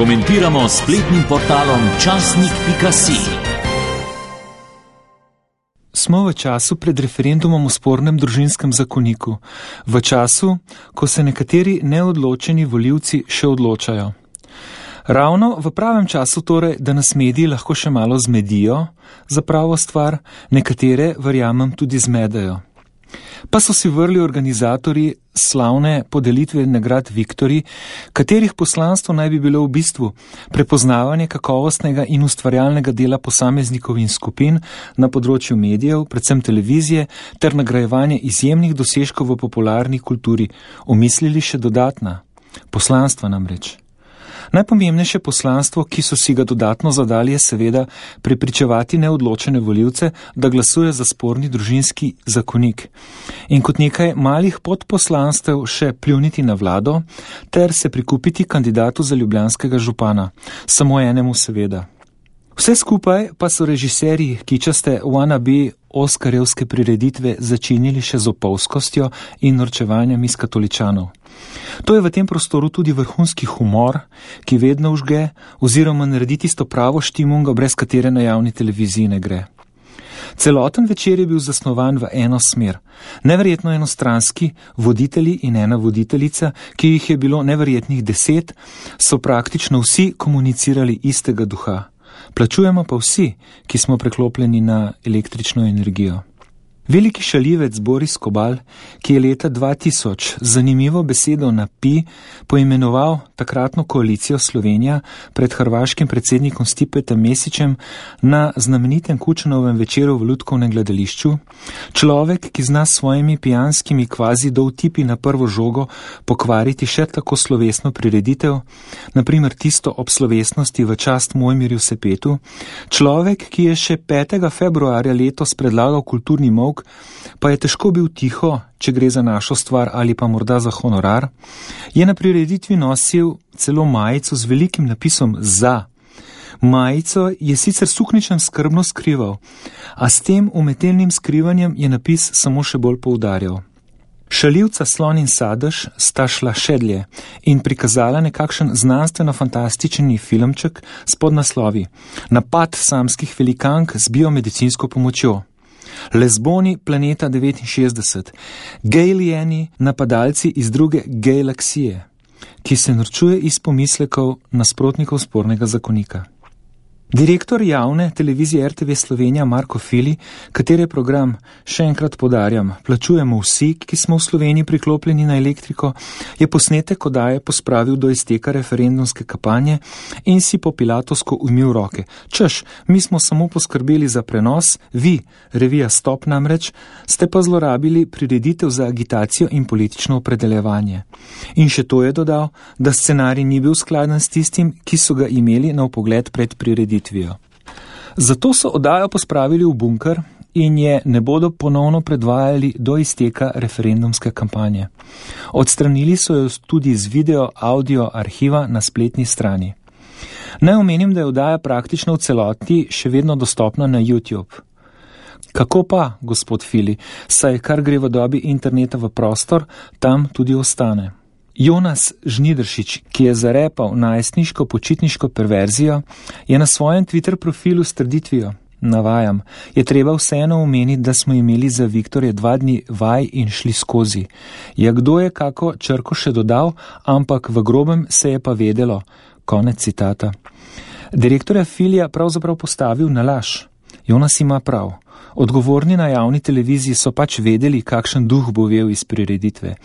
Komentiramo s spletnim portalom časnik.si. Smo v času pred referendumom o spornem družinskem zakoniku, v času, ko se nekateri neodločeni volivci še odločajo. Ravno v pravem času torej, da nas mediji lahko še malo zmedijo za pravo stvar, nekatere, verjamem, tudi zmedejo. Pa so si vrli organizatorji slavne podelitve nagrad Viktorji, katerih poslanstvo naj bi bilo v bistvu prepoznavanje kakovostnega in ustvarjalnega dela posameznikov in skupin na področju medijev, predvsem televizije, ter nagrajevanje izjemnih dosežkov v popularni kulturi, omislili še dodatna poslanstva namreč. Najpomembnejše poslanstvo, ki so si ga dodatno zadali, je seveda prepričevati neodločene volivce, da glasuje za sporni družinski zakonik. In kot nekaj malih podposlanstev še pljuniti na vlado, ter se prikupiti kandidatu za ljubljanskega župana. Samo enemu seveda. Vse skupaj pa so režiserji kičaste wannabe oskarjevske prireditve začinili še z opolskostjo in norčevanjem iz katoličanov. To je v tem prostoru tudi vrhunski humor, ki vedno užge oziroma naredi tisto pravo štimungo, brez katere na javni televiziji ne gre. Celoten večer je bil zasnovan v eno smer. Neverjetno enostranski voditelji in ena voditeljica, ki jih je bilo neverjetnih 10, so praktično vsi komunicirali istega duha. Plačujemo pa vsi, ki smo preklopljeni na električno energijo. Veliki šaljivec Boris Kobal, ki je leta 2000 zanimivo besedo na pi poimenoval takratno koalicijo Slovenija pred hrvaškim predsednikom Stipetom Mesićem na znamenitem Kučanovem večeru v Lutkovnem gledališču, človek, ki zna s svojimi pijanskimi kvazi dovtipi na prvo žogo pokvariti še tako slovesno prireditev, naprimer tisto ob slovesnosti v čast Mojmirju Sepetu, človek, ki je še 5. februarja letos predlagal kulturni molk, pa je težko bil tiho, če gre za našo stvar ali pa morda za honorar, je na prireditvi nosil celo majico z velikim napisom za. Majico je sicer suknjičem skrbno skrival, a s tem umetelnim skrivanjem je napis samo še bolj poudarjal. Šaljivca Slon in Sadež sta šla še dlje in prikazala nekakšen znanstveno-fantastični filmček s podnaslovi Napad samskih velikank z biomedicinsko pomočjo. Lezboni planeta 69, gejlijeni napadalci iz druge galaksije, ki se norčuje iz pomislekov nasprotnikov spornega zakonika. Direktor javne televizije RTV Slovenija Marko Fili, katere program, še enkrat podarjam, plačujemo vsi, ki smo v Sloveniji priklopljeni na elektriko, je posnetek oddaje pospravil do izteka referendumske kampanje in si po pilatovsko umil roke. Češ, mi smo samo poskrbeli za prenos, vi, revija Stop namreč, ste pa zlorabili prireditev za agitacijo in politično opredeljevanje. In še to je dodal, da scenarij ni bil skladen s tistim, ki so ga imeli na vpogled pred prireditvijo. Zato so oddajo pospravili v bunker in je ne bodo ponovno predvajali do izteka referendumske kampanje. Odstranili so jo tudi z video audio arhiva na spletni strani. Naj omenim, da je oddaja praktično v celoti še vedno dostopna na YouTube. Kako pa, gospod Fili, saj kar gre v dobi interneta v prostor, tam tudi ostane. Jonas Žnidaršič, ki je zarepal najstniško počitniško perverzijo, je na svojem Twitter profilu s trditvijo, navajam, je treba vseeno omeniti, da smo imeli za Viktorje 2 dni vaj in šli skozi. Ja, kdo je kako črko še dodal, ampak v grobem se je pa vedelo. Konec citata. Direktorja Filija pravzaprav postavil na laž. Jonas ima prav. Odgovorni na javni televiziji so pač vedeli, kakšen duh bo vel iz prireditve.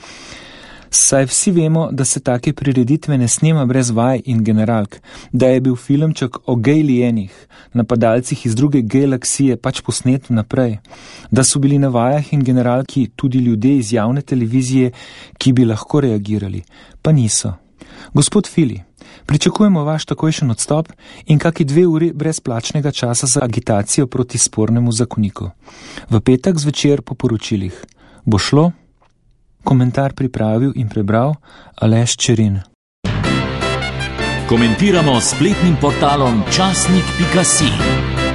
Saj vsi vemo, da se take prireditve ne snema brez vaj in generalk, da je bil filmček o gejlijenih, napadalcih iz druge galaksije pač posnet naprej, da so bili na vajah in generalki tudi ljudje iz javne televizije, ki bi lahko reagirali, pa niso. Gospod Fili, pričakujemo vaš takojšen odstop in kaki 2 uri brezplačnega časa za agitacijo proti spornemu zakoniku. V petek zvečer po poročilih. Bo šlo? Komentar pripravil in prebral Aleš Čerin. Komentiramo s spletnim portalom časnik.si.